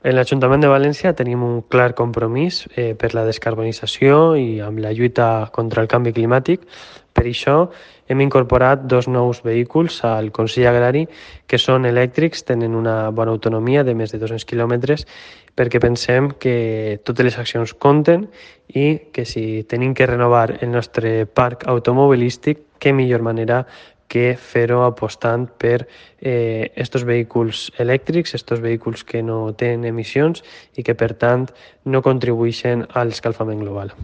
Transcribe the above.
En l'Ajuntament de València tenim un clar compromís per la descarbonització i amb la lluita contra el canvi climàtic. Per això hem incorporat 2 nous vehicles al Consell Agrari que són elèctrics, tenen una bona autonomia de més de 200 quilòmetres, perquè pensem que totes les accions compten i que si tenim que renovar el nostre parc automobilístic, què millor manera que fer-ho apostant per estos vehicles elèctrics, estos vehicles que no tenen emissions i que, per tant, no contribueixen a l'escalfament global.